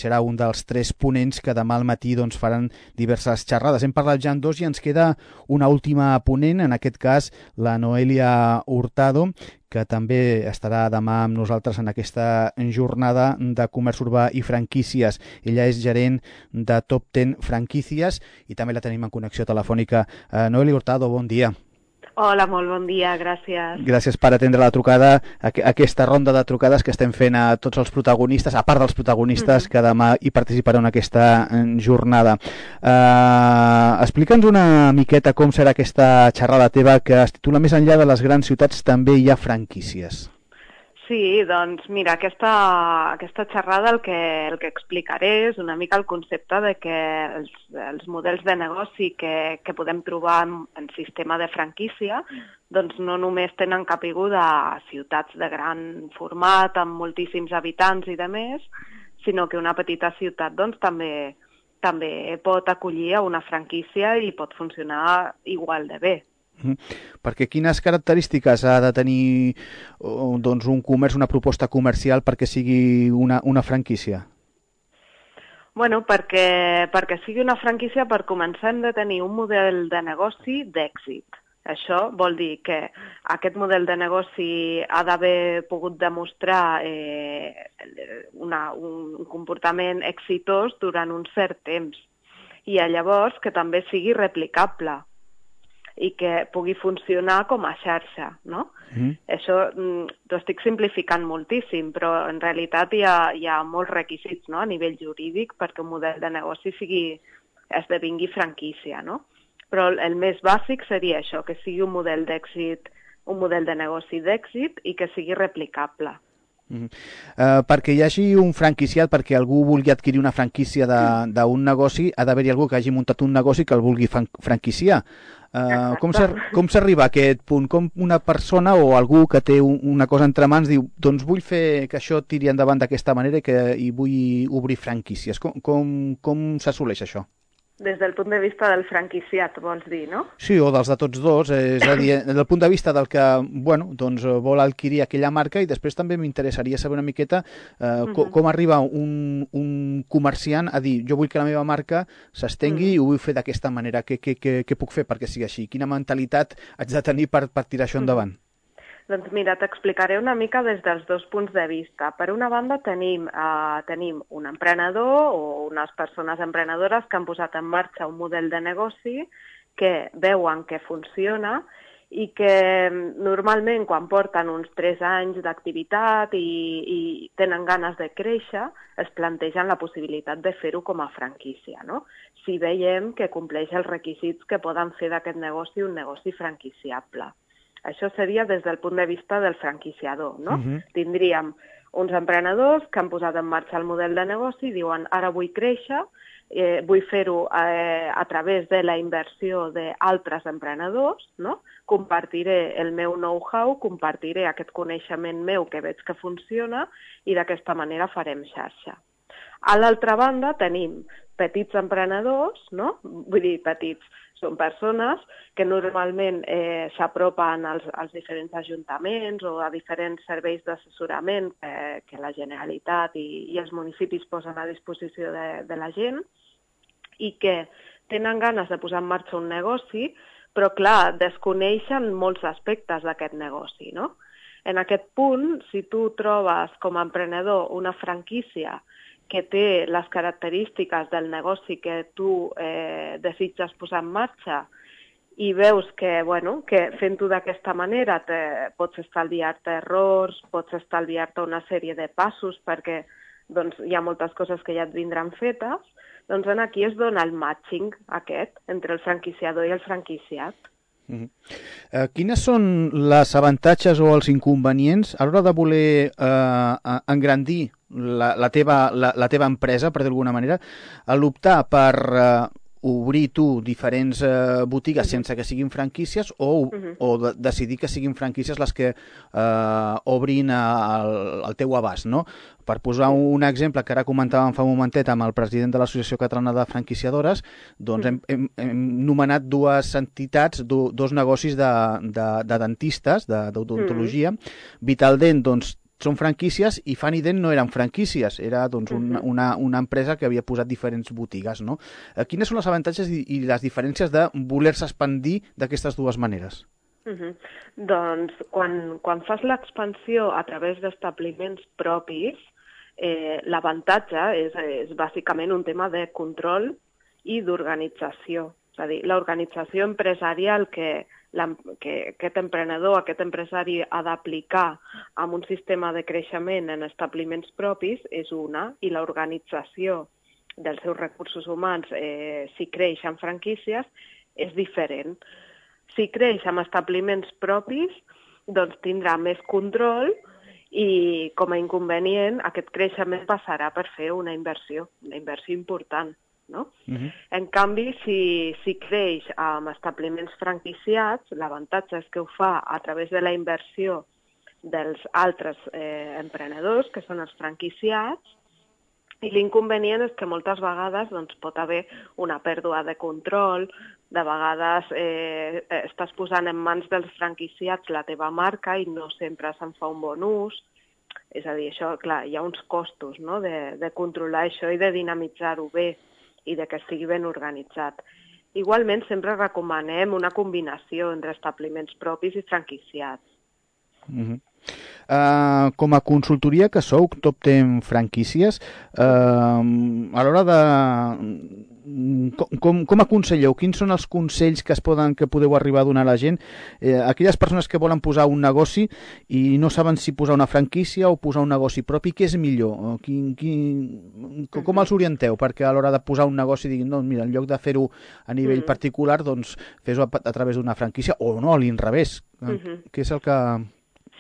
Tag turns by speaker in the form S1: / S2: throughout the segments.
S1: serà un dels 3 ponents que demà al matí doncs, faran diverses xerrades. Hem parlat ja en 2 i ens queda una última ponent, en aquest cas la Noelia Hurtado, que també estarà demà amb nosaltres en aquesta jornada de comerç urbà i franquícies. Ella és gerent de Top 10 Franquícies i també la tenim en connexió telefònica. Noelia Hurtado, bon dia.
S2: Hola, molt bon dia, gràcies.
S1: Gràcies per atendre la trucada, aquesta ronda de trucades que estem fent a tots els protagonistes, a part dels protagonistes que demà hi participaran en aquesta jornada. Explica'ns una miqueta com serà aquesta xerrada teva que es titula Més enllà de les grans ciutats també hi ha franquícies.
S2: Sí, doncs mira, aquesta xerrada el que explicaré és una mica el concepte de que els models de negoci que podem trobar en sistema de franquícia doncs no només tenen caiguda a ciutats de gran format, amb moltíssims habitants i de més, sinó que una petita ciutat doncs, també pot acollir a una franquícia i pot funcionar igual de bé.
S1: Perquè quines característiques ha de tenir doncs, un comerç, una proposta comercial perquè sigui una franquícia?
S2: Bueno, perquè sigui una franquícia, per començar hem de tenir un model de negoci d'èxit. Això vol dir que aquest model de negoci ha d'haver pogut demostrar un comportament exitós durant un cert temps i llavors que també sigui replicable i que pugui funcionar com a xarxa, no? Això t'ho estic simplificant moltíssim, però en realitat hi ha molts requisits, no?, a nivell jurídic perquè un model de negoci esdevingui franquícia, no? Però el més bàsic seria això, que sigui un model d'èxit, un model de negoci d'èxit i que sigui replicable.
S1: Perquè hi hagi un franquiciat, perquè algú vulgui adquirir una franquícia d'un negoci, ha d'haver-hi algú que hagi muntat un negoci que el vulgui franquiciar. Com s'arriba a aquest punt? Com una persona o algú que té una cosa entre mans diu, doncs vull fer que això tiri endavant d'aquesta manera i vull obrir franquícies. Com s'assoleix això?
S2: Des del punt de vista del franquiciat, vols dir, no?
S1: Sí, o dels de tots dos, és a dir, des del punt de vista del que doncs, vol adquirir aquella marca, i després també m'interessaria saber una miqueta com arriba un comerciant a dir, jo vull que la meva marca s'estengui i ho vull fer d'aquesta manera, què puc fer perquè sigui així? Quina mentalitat haig de tenir per tirar això endavant?
S2: Doncs mira, t'explicaré una mica des dels 2 punts de vista. Per una banda tenim un emprenedor o unes persones emprenedores que han posat en marxa un model de negoci que veuen que funciona i que normalment quan porten uns 3 anys d'activitat i tenen ganes de créixer, es plantegen la possibilitat de fer-ho com a franquícia, no? Si veiem que compleix els requisits que poden fer d'aquest negoci un negoci franquiciable. Això seria des del punt de vista del franquiciador, no? Tindríem uns emprenedors que han posat en marxa el model de negoci i diuen ara vull créixer, vull fer-ho a través de la inversió d'altres emprenedors, no? Compartiré el meu know-how, compartiré aquest coneixement meu que veig que funciona i d'aquesta manera farem xarxa. A l'altra banda tenim petits emprenedors, no? Vull dir, petits, són persones que normalment s'apropen als diferents ajuntaments o a diferents serveis d'assessorament que la Generalitat i els municipis posen a disposició de la gent i que tenen ganes de posar en marxa un negoci, però clar, desconeixen molts aspectes d'aquest negoci, no? En aquest punt, si tu trobes com a emprenedor una franquícia que té les característiques del negoci que tu desitges posar en marxa i veus que fent-ho d'aquesta manera pots estalviar-te errors, pots estalviar-te una sèrie de passos perquè hi ha moltes coses que ja et vindran fetes, doncs aquí es dona el matching aquest entre el franquiciador i el franquiciat.
S1: Quines són les avantatges o els inconvenients a l'hora de voler engrandir la teva empresa, per dir d'alguna manera, a l'optar per obrir tu diferents botigues sense que siguin franquícies o decidir que siguin franquícies les que obrin al teu abast, no? Per posar un exemple que ara comentàvem fa un momentet amb el president de l'Associació Catalana de Franquiciadores, doncs hem nomenat 2 entitats, 2 negocis de dentistes, d'odontologia. Vitaldent, doncs, són franquícies i Funny no eren franquícies, era doncs, una empresa que havia posat diferents botigues, no? Quines són els avantatges i les diferències de voler-se expandir d'aquestes dues maneres?
S2: Doncs quan fas l'expansió a través d'establiments propis, l'avantatge és bàsicament un tema de control i d'organització. És a dir, l'organització empresarial que aquest emprenedor, aquest empresari ha d'aplicar amb un sistema de creixement en establiments propis és una, i l'organització dels seus recursos humans, si creix en franquícies, és diferent. Si creix amb establiments propis, doncs tindrà més control i, com a inconvenient, aquest creixement passarà per fer una inversió important. No? En canvi, si creix amb establiments franquiciats, l'avantatge és que ho fa a través de la inversió dels altres emprenedors, que són els franquiciats, i l'inconvenient és que moltes vegades doncs, pot haver una pèrdua de control, de vegades estàs posant en mans dels franquiciats la teva marca i no sempre se'n fa un bon ús. És a dir, això, clar, hi ha uns costos, no?, de controlar això i de dinamitzar-ho bé i de que estigui ben organitzat. Igualment, sempre recomanem una combinació entre establiments propis i franquiciats.
S1: Com a consultoria que sou, Top 10 Franquícies, a l'hora de... Com aconselleu? Quins són els consells que podeu arribar a donar a la gent? Aquelles persones que volen posar un negoci i no saben si posar una franquícia o posar un negoci propi, què és millor? Com els orienteu? Perquè a l'hora de posar un negoci diguin, no, mira, en lloc de fer-ho a nivell particular, doncs fes-ho a través d'una franquícia, o no, a l'inrevés. Què és el que...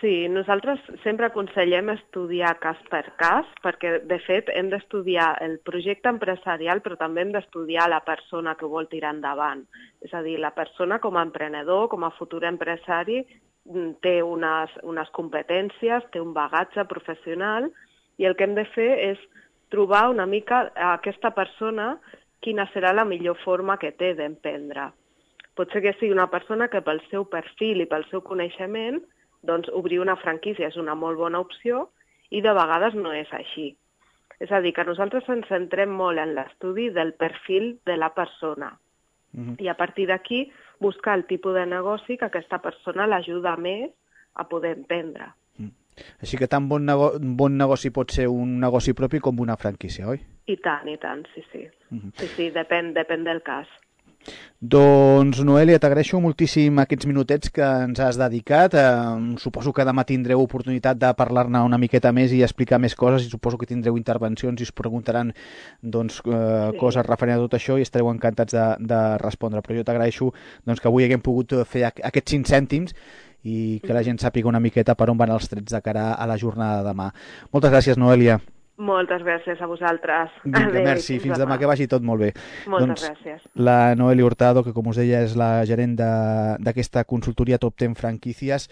S2: Sí, nosaltres sempre aconsellem estudiar cas per cas, perquè, de fet, hem d'estudiar el projecte empresarial, però també hem d'estudiar la persona que vol tirar endavant. És a dir, la persona com a emprenedor, com a futur empresari, té unes competències, té un bagatge professional, i el que hem de fer és trobar una mica a aquesta persona quina serà la millor forma que té d'emprendre. Pot ser que sigui una persona que pel seu perfil i pel seu coneixement doncs obrir una franquícia és una molt bona opció i de vegades no és així. És a dir, que nosaltres ens centrem molt en l'estudi del perfil de la persona i a partir d'aquí buscar el tipus de negoci que aquesta persona l'ajuda més a poder emprendre.
S1: Així que tan bon negoci pot ser un negoci propi com una franquícia, oi?
S2: I tant, sí. Sí, depèn del cas.
S1: Doncs, Noelia, t'agraeixo moltíssim aquests minutets que ens has dedicat. Suposo que demà tindreu oportunitat de parlar-ne una miqueta més i explicar més coses, i suposo que tindreu intervencions i us preguntaran coses referents a tot això i estareu encantats de respondre. Però jo t'agraeixo que avui haguem pogut fer aquests 5 cèntims i que la gent sàpiga una miqueta per on van els trets de cara a la jornada de demà. Moltes gràcies, Noelia.
S2: Moltes gràcies a vosaltres.
S1: Vinga, merci. Fins demà, que vagi tot molt bé.
S2: Moltes gràcies.
S1: La Noelia Hurtado, que com us deia és la gerent d'aquesta consultoria Top 10 Franquícies,